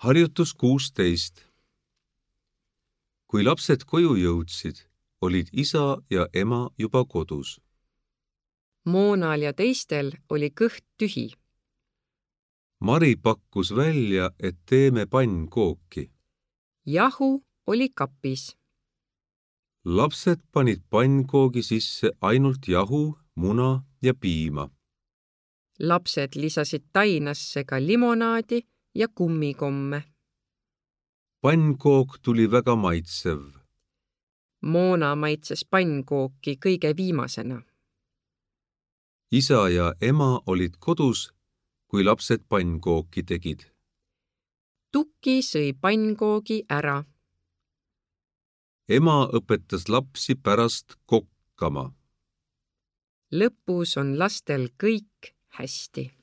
Harjutus 16. Kui lapsed koju jõudsid, olid isa ja ema juba kodus. Moonal ja teistel oli kõht tühi. Mari pakkus välja, et teeme pannkooki. Jahu oli kapis. Lapsed panid pannkoogi sisse ainult jahu, muna ja piima. Lapsed lisasid tainasse ka limonaadi ja kummikomme. Pannkook tuli väga maitsev. Moona maitses pannkooki kõige viimasena. Isa ja ema olid kodus, kui lapsed pannkooki tegid. Tuki sõi pannkoogi ära. Ema õpetas lapsi pärast kokkama. Lõpus on lastel kõik hästi.